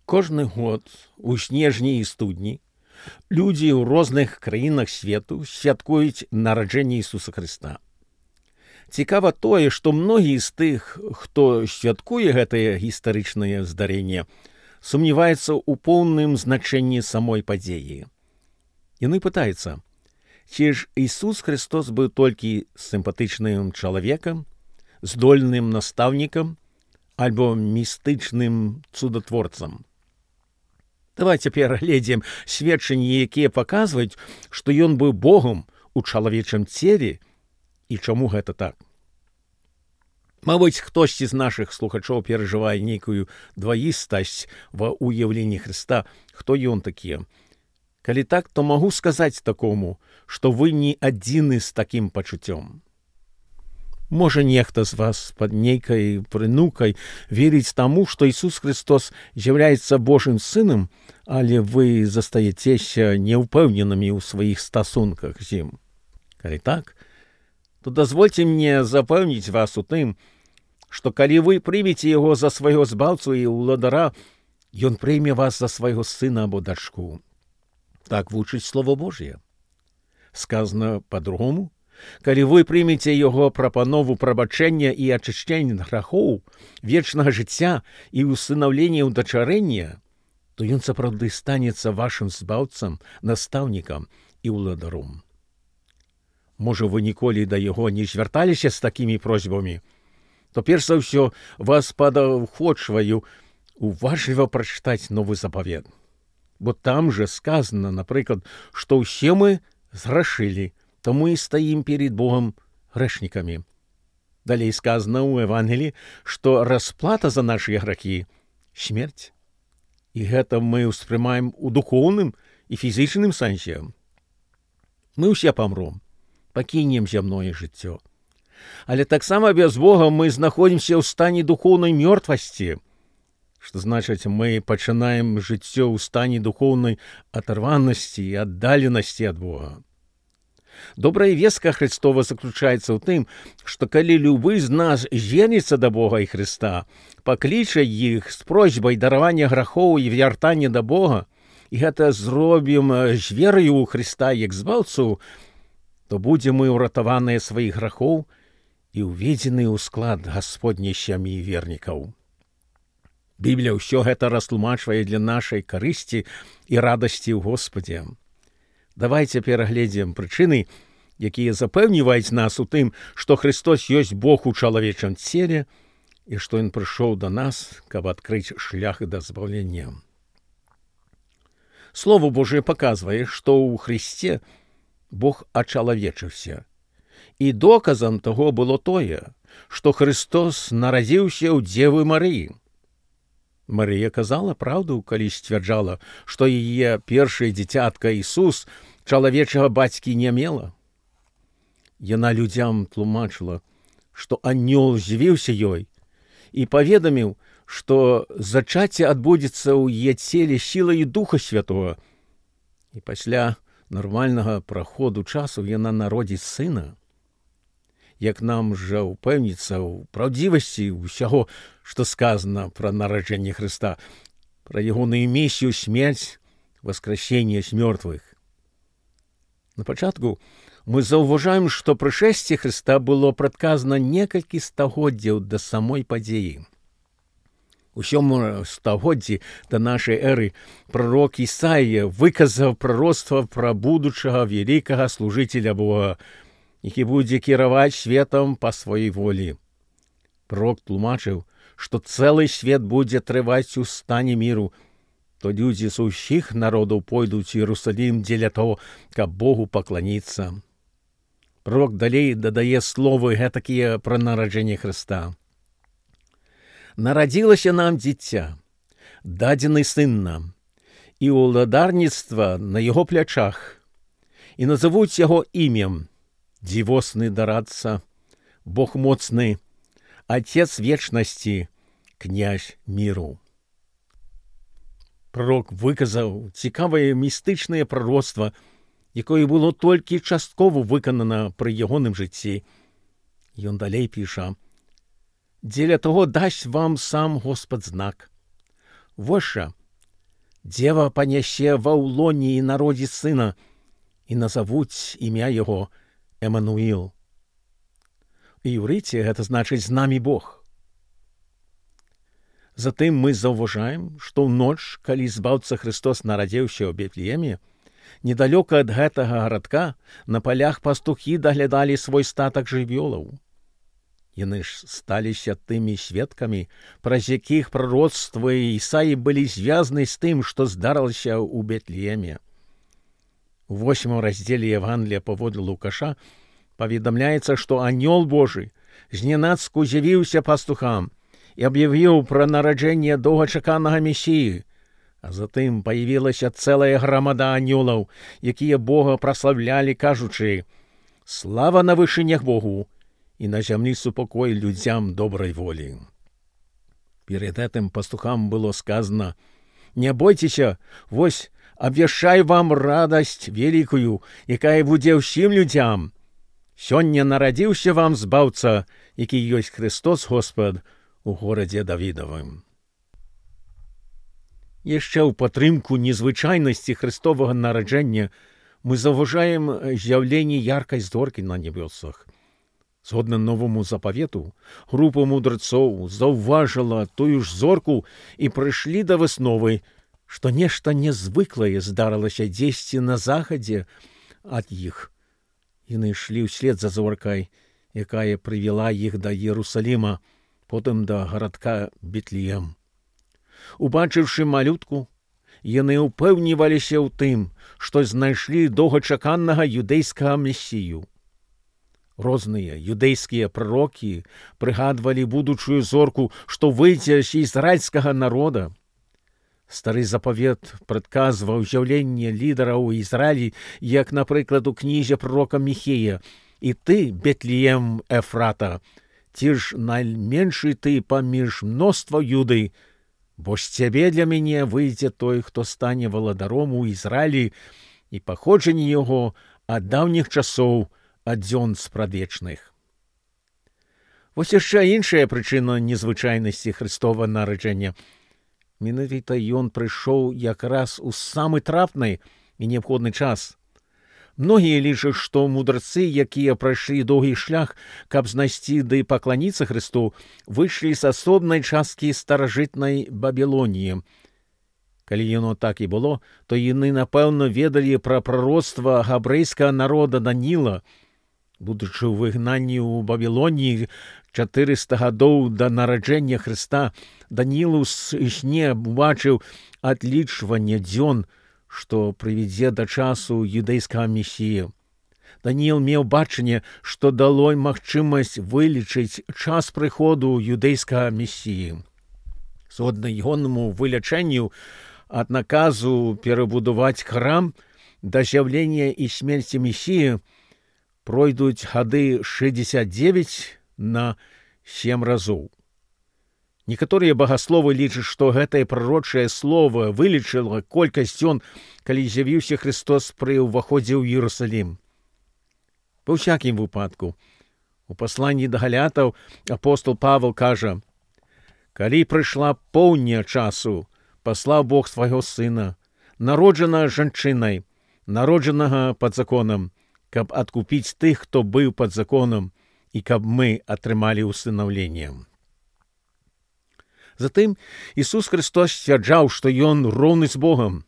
Кожны год у снежні і студні людзі ў розных краінах свету святкуюць нараджэнне Ісуса Хрыста. Цікава тое, што многія з тых, хто святкуе гэтае гістарычнае здарэнне, сумняваецца ў поўным значэнні самой падзеі. Яны пытаюцца, ці ж Ісус Христос быў толькі сімпатычным чалавекам, здольным настаўнікам альбо містычным цудатворцам. Давайте перагледзім сведчанні, якія паказваюць, што ён быў Богом у чалавечым целе і чаму гэта так. Мабыць, хтосьці з нашых слухачоў перажывае нейкую дваістасць ва ўяўленні Хрыста, хто ён такі. Калі так, то магу сказаць такому, што вы не адзіны з такім пачуццём. Можа, нехта з вас пад нейкай прынукай верыць таму, што Ісус Христос з'яўляецца Божым сынам, але вы застаецеся няўпэўненымі ў сваіх стасунках з ім. Калі так, то дазвольце мне запэўніць вас у тым, што калі вы прымеце яго за свайго збаўцу і ўладара, ён прыйме вас за свайго сына або дачку. Так вучыць Слова Божье. Сказано па-другому, калі вы прымеце яго прапанову прабачэння і ачышчэння грахоў, вечнага жыцця і ўсынаўлення ўдачарэння, то ён сапраўды станецца вашым збаўцам, настаўнікам і ўладаром. Можа, вы ніколі да яго не звярталіся з такімі просьбамі, то перш за ўсё вас падахвочваю уважліва прачытаць Новы Запавет. Бо там же сказано, напрыклад, што ўсе мы зграшылі, таму і стаім перед Богом грэшнікамі. Далей сказано ў Евангеліі, што расплата за нашы грахі — смерць. І гэта мы ўспрымаем у духоўным і фізічным сэнсе. Мы ўсе памром, пакінем зямное жыццё. Але таксама без Бога мы знаходзімся ў стане духоўнай мёртвасці, што значыць, мы пачынаем жыццё ў стане духоўнай адарванасці і аддаленасці ад Бога. Добрая вестка Христова заключаецца ў тым, што калі любы з нас звернецца да Бога і Христа, пакліча іх з просьбай даравання грахоў і вяртання да Бога, і гэта зробім з вераю ў Христа як збаўцу, то будзем мы ўратаваныя сваіх грахоў і ўведзены ў склад Гасподняй сям'і вернікаў. Біблія ўсё гэта растлумачвае для нашай карысці і радасці ў Господе. Давайце перагледзім прычыны, якія запэўніваюць нас у тым, што Христос ёсць Бог у чалавечым целе і што ён прыйшоў да нас, каб адкрыць шлях да збаўлення. Слово Божие паказвае, што ў Христе Бог ачалавечыўся. І доказам таго было тое, што Христос нарадзіўся ў Дзевы Марыі. Марыя казала праўду, калі сцвярджала, што яе першае дзіцятка Ісус чалавечага бацькі не мела. Яна людзям тлумачыла, што анёл з'явіўся ёй і паведаміў, што зачацце адбудзецца ў яе целе сілаю Духа Святога, і пасля нармальнага праходу часу яна народзіць сына. Як нам жа упэўніцца ў праўдзівасці ўсяго, што сказано пра нараджэнне Хрыста, пра ягоную місію, смерць, васкрасенне з мёртвых. На пачатку мы заўважаем, што прышэсце Хрыста было прадказана некалькі стагоддзяў да самой падзеі. У 7 стагоддзі да нашай эры прарок Ісаія выказаў прароцтва пра будучага вялікага служыцеля Бога, які будзе кіраваць светам па сваёй волі. Пророк тлумачыў, што цэлы свет будзе трываць у стане міру, то людзі з усіх народаў пойдуць у Іерусалім дзеля того, каб Богу пакланіцца. Пророк далей дадае словы гэтакія пра нараджэнне Хрыста. Нарадзілася нам дзіця, дадзены сын нам, і ўладарніцтва на яго плячах, і назавуць яго імем дзівосны дарадца, Бог моцны, Отец вечнасці, князь міру. Пророк выказаў цікавае містычнае прароцтва, якое было толькі часткова выканана пры ягоным жыцці. Ён далей піша: «Дзеля того дасць вам сам Господ знак. Вось жа, Дзева панясе ва ўлоні і народзіць сына, і назавуць імя яго Эмануіл. У іўрыце гэта значыць «з намі Бог». Затым мы заўважаем, што ў ноч, калі збаўца Христос нарадзіўся ў Бетлееме, недалёка ад гэтага гарадка на палях пастухі даглядалі свой статак жывёлаў. Яны ж сталіся тымі сведкамі, праз якіх прароцтвы Ісаі былі звязаны з тым, што здарылася ў Бетлееме. У 8 раздзеле Евангелія паводле Лукаша паведамляецца, што анёл Божы знянацку з'явіўся пастухам і аб'явіў пра нараджэнне доўгачаканага Месіі, а затым паявілася цэлая грамада анёлаў, якія Бога праславлялі, кажучы: «Слава на вышынях Богу, і на зямлі супакой людзям добрай волі». Перед гэтым пастухам было сказано: «Не бойцеся, вось абвяшчаю вам радасць вялікую, якая будзе ўсім людзям. Сёння нарадзіўся вам збаўца, які ёсць Христос Господ у горадзе Давідавым». Яшчэ ў падтрымку незвычайнасці Христовага нараджэння мы заўважаем з'яўленне яркай зоркі на небёсах. Згодна новаму запавету, група мудрацоў заўважыла тую ж зорку і прыйшлі да высновы, што нешта нязвыклае здарылася дзесьці на захадзе ад іх. Яны ішлі ўслед за зоркай, якая прывяла іх да Іерусаліма, потым да гарадка Бетлеем. Убачыўшы малютку, яны ўпэўніваліся ў тым, што знайшлі доўгачаканага юдэйскага месію. Розныя юдэйскія прарокі прыгадвалі будучую зорку, што выйдзе з ізраільскага народа. Стары запавет прадказваў з'яўленне лідараў у Ізраілі, як, напрыклад, у кнізе прарока Міхея: «І ты, Бетлеем Эфрата, ці ж найменшы ты паміж мноства Юды, бо з цябе для мяне выйдзе той, хто стане валадаром у Ізраілі, і паходжанне яго ад даўніх часоў, ад дзён спрадвечных». Вось яшчэ іншая прычына незвычайнасці Христова нараджэння. Менавіта ён прыйшоў якраз у самы трапны і неабходны час. Многія лічаць, што мудрацы, якія прайшлі доўгі шлях, каб знайсці ды пакланіцца Христу, выйшлі з асобнай часткі старажытнай Бабілоніі. Калі яно так і было, то яны, напэўна, ведалі пра прароцтва габрэйскага народа Даніла. Будучы ў выгнанні ў Бабілоніі 400 гадоў да нараджэння Хрыста, Даніл у сне убачыў адлічванне дзён, што прывядзе да часу юдэйскага месіі. Даніл меў бачанне, што дало магчымасць вылічыць час прыходу юдэйскага месіі. Згодна ягонаму вылячэнню ад наказу перабудаваць храм да з'яўлення і смерці месіі пройдуць гады 69 на 7 разоў. Некаторыя багасловы лічаць, што гэтае прарочае слово вылічыла колькасць дзён, калі з'явіўся Христос пры ўваходзе ў Іерусалім. Ва ўсякім выпадку, у пасланні да галятаў апостол Павел кажа: «Калі прыйшла поўня часу, паслаў Бог свайго сына, народжанага жанчынай, народжанага пад законам, каб адкупіць тых, хто быў пад законам, і каб мы атрымалі ўсынаўленне». Затым Ісус Христос сцвярджаў, што ён роўны з Богам.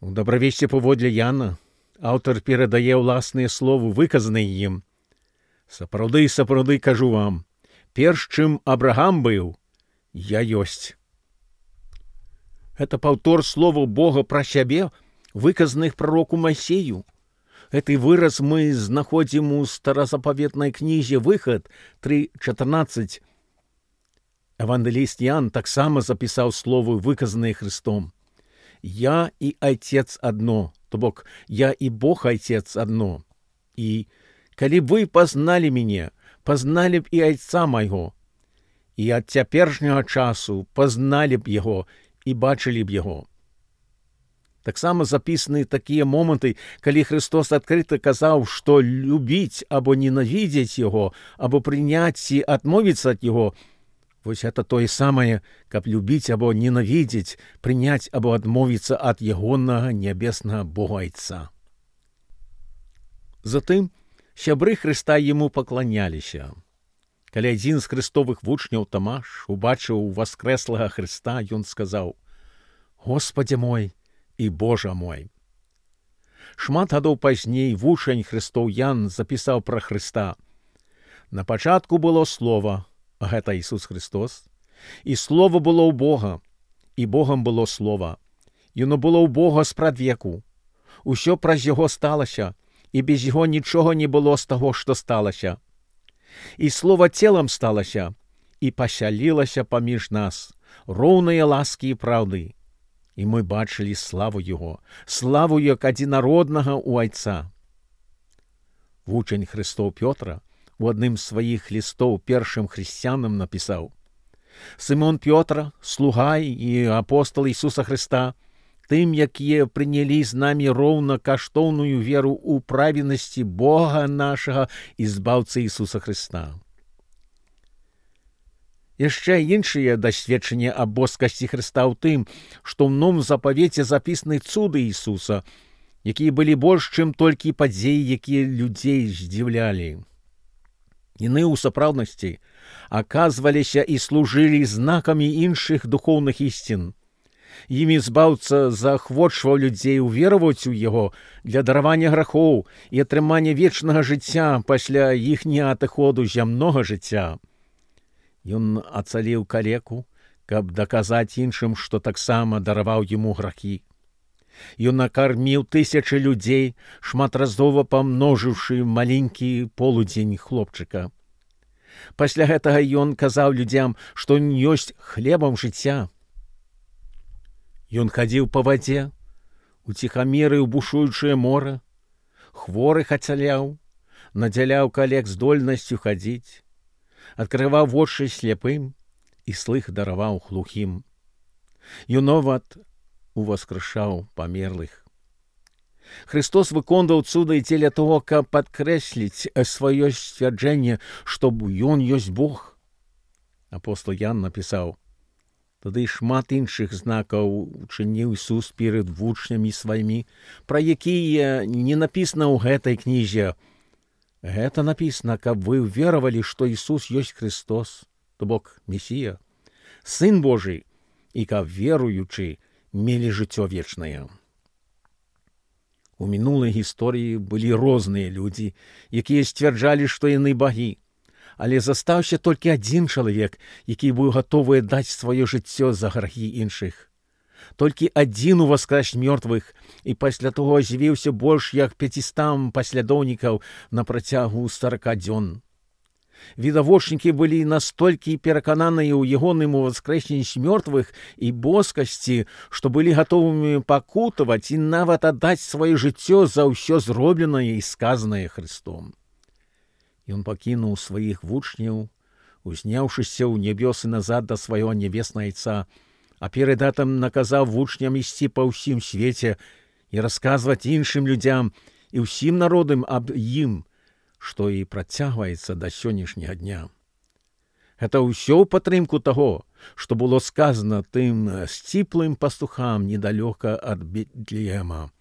У добравесці паводле Яна аўтар перадае ўласныя словы, выказаныя ім: «Сапраўды, сапраўды кажу вам, перш чым Абрагам быў, я ёсць». Гэта паўтор словаў Бога пра сябе, выказаных прароку Майсею. Гэты выраз мы знаходзім у старазапаветнай кнізе «Выхад» 3:14. Евангеліст Ян таксама запісаў словы, выказаныя Христом: «Я і Айцец адно», то бок «Я і Бог Айцец адно». І «Калі б вы пазналі мяне, пазналі б і Айца майго, і ад цяперашняга часу пазналі б яго і бачылі б яго». Таксама запісаны такія моманты, калі Христос адкрыта казаў, што любіць або ненавідзець яго, або прыняць ці адмовіцца ад яго Вось гэта тое самае, каб любіць або ненавідзець, прыняць або адмовіцца ад ягонага нябеснага Бога Айца. Затым сябры Хрыста яму пакланяліся. Калі адзін з хрыстовых вучняў Тамаш убачыў воскрэслага Хрыста, ён сказаў: «Господи мой і Божа мой». Шмат гадоў пазней вучань Хрыстоў Ян запісаў пра Хрыста: «На пачатку было Слова, гэта Ісус Христос, і Слова было ў Бога, і Богам было Слова. Яно было ў Бога спрадвеку. Усё праз Яго сталася, і без Яго нічога не было з таго, што сталася. І Слова целам сталася, і пасялілася паміж нас, роўныя ласкі і праўды. І мы бачылі славу Яго, славу як адзінароднага ў Айца». Вучань Хрыстоў Пётра у адным з сваіх лістоў першым хрысціянам напісаў: «Сымон Пётра, слуга і апостол Ісуса Хрыста, тым, якія прынялі з намі роўна каштоўную веру ў праведнасці Бога нашага і збаўцы Ісуса Хрыста». Яшчэ іншыя дасведчанні аб боскасці Хрыста ў тым, што ў новым запавеце запісаны цуды Ісуса, якія былі больш, чым толькі падзеі, якія людзей здзіўлялі. Яны ў сапраўднасці аказваліся і служылі знакамі іншых духоўных ісцін. Імі збаўца заахвочваў людзей увераваць у Яго для даравання грахоў і атрымання вечнага жыцця пасля іхняга адыходу зямнога жыцця. Ён ацаліў калеку, каб даказаць іншым, што таксама дараваў яму грахі. Ён накарміў тысячы людзей, шматразова памножыўшы маленькі полудзень хлопчыка. Пасля гэтага ён казаў людзям, што ён ёсць хлебам жыцця. Ён хадзіў па вадзе, уціхамірыў бушуючае мора, хворых ацаляў, надзяляў калек здольнасцю хадзіць, адкрываў вочы сляпым і слых дараваў глухім. Ён нават уваскрышаў памерлых. Христос выконваў цуды дзеля того, каб падкрэсліць сваё сцвярджэнне, што ён ёсць Бог. Апостол Ян напісаў: «Тады шмат іншых знакаў учыніў Ісус перад вучнямі сваімі, пра якія не напісана ў гэтай кнізе. Гэта напісана, каб вы веравалі, што Ісус ёсць Христос, то бок Месія, Сын Божий, і каб веруючы мелі жыццё вечнае». У мінулай гісторыі былі розныя людзі, якія сцвярджалі, што яны багі, але застаўся толькі адзін чалавек, які быў гатовы даць сваё жыццё за грахі іншых. Толькі адзін уваскрэс мёртвых, і пасля таго з'явіўся больш як 500 паслядоўнікаў на працягу 40 дзён. Відавочнікі былі настолькі перакананыя ў ягоным уваскрэсенні з мёртвых і боскасці, што былі гатовымі пакутаваць і нават аддаць сваё жыццё за ўсё зробленае і сказанае Христом. Ён пакінуў сваіх вучняў, узняўшыся ў нябёсы назад да свайго нябеснага Айца, а перад гэтым наказаў вучням ісці па ўсім свеце і расказваць іншым людзям і ўсім народам аб ім, што і працягваецца да сённяшняга дня. Гэта ўсё ў падтрымку таго, што было сказана тым сціплым пастухам недалёка ад Бетлеема.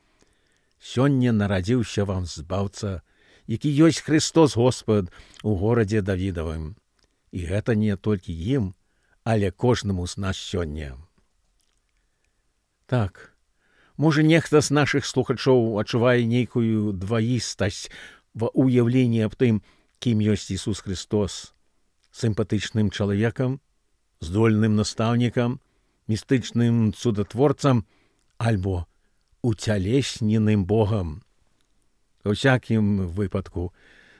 Сёння нарадзіўся вам збаўца, які ёсць Христос Господ у горадзе Давідавым. І гэта не толькі ім, але кожнаму з нас сёння. Так, можа, нехта з нашых слухачоў адчувае нейкую дваістасць ва ўяўленні аб тым, кім ёсць Ісус Христос: сімпатычным чалавекам, здольным настаўнікам, містычным цудатворцам альбо уцялесненым Богам. У всякім выпадку,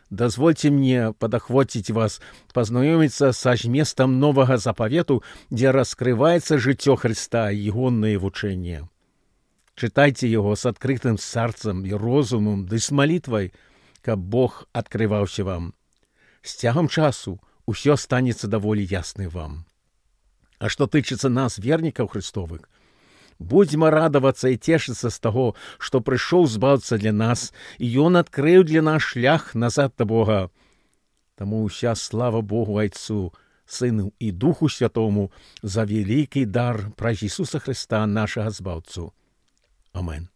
дазвольце мне падахвоціць вас пазнаёміцца са зместам новага запавету, дзе раскрываецца жыццё Хрыста і ягонае вучэнне. Чытайце яго з адкрытым сэрцам і розумам ды з малітвай, каб Бог адкрываўся вам. З цягам часу ўсё станецца даволі ясны вам. А што тычыцца нас, вернікаў Христовых, будзьма радавацца і цешыцца з таго, што прыйшоў збаўца для нас, і ён адкрыў для нас шлях назад да Бога. Таму ўся слава Богу Айцу Сину і Духу Святому за великий дар праз Ісуса Христа, нашого Збавцю. Амен.